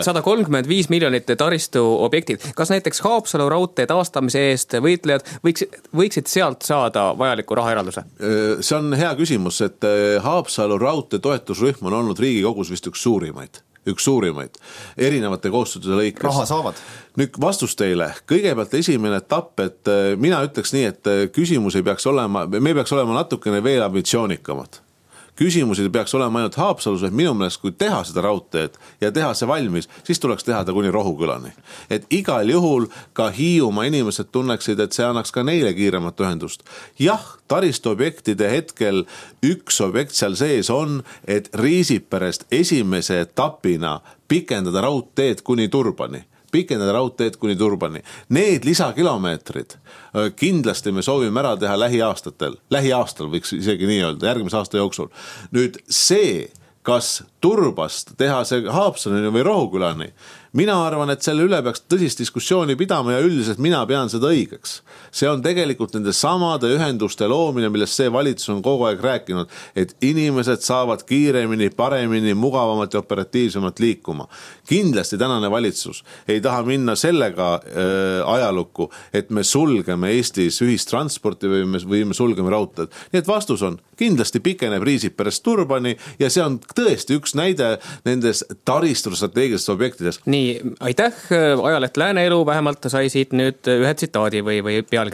135 miljonit taristu objektid. Kas näiteks Haapsalu raudtee taastamise eest võitlejad võiksid sealt saada vajaliku rahaeralduse? See on hea küsimus, et Haapsalu raudtee toetusrühm on olnud Riigikogus vist üks suurimaid erinevate koostööde lõikes. Raha saavad? Nüüd vastus teile. Kõigepealt esimene etapp, et mina ütleks nii, et küsimus ei peaks olema, me peaks olema natukene veel ambitsioonikamad. Küsimusi peaks olema ainult Haapsalus, et minu meelest kui teha seda raudteed ja teha see valmis, siis tuleks teha ta kuni Rohukülani. Et igal juhul ka Hiiumaa inimesed tunneksid, et see annaks ka neile kiiremat ühendust. Jah, taristuobjektide hetkel üks objekt seal sees on, et Riisiperest esimese etapina pikendada raudteed kuni Turbani. Need lisakilomeetrid kindlasti me soovime ära teha lähiaastal võiks isegi nii öelda, järgmise aasta jooksul. Nüüd see, kas Turbast teha see Haapsaluni või Rohukülani, mina arvan, et selle üle peaks tõsist diskussiooni pidama ja üldiselt mina pean seda õigeks. See on tegelikult nende samade ühenduste loomine, millest see valitsus on kogu aeg rääkinud, et inimesed saavad kiiremini, paremini, mugavamalt ja operatiivsemalt liikuma. Kindlasti tänane valitsus ei taha minna sellega ajalukku, et me sulgeme Eestis ühistransporti või me sulgeme raudteed. Nii et vastus on, kindlasti pikeneb Riisiperest Turbani ja see on tõesti üks näide nendes taristustrateegilistes objektides. Nii, aitäh, ajaleht Lääne Elu vähemalt sai siit nüüd ühe tsitaadi või pealkirja.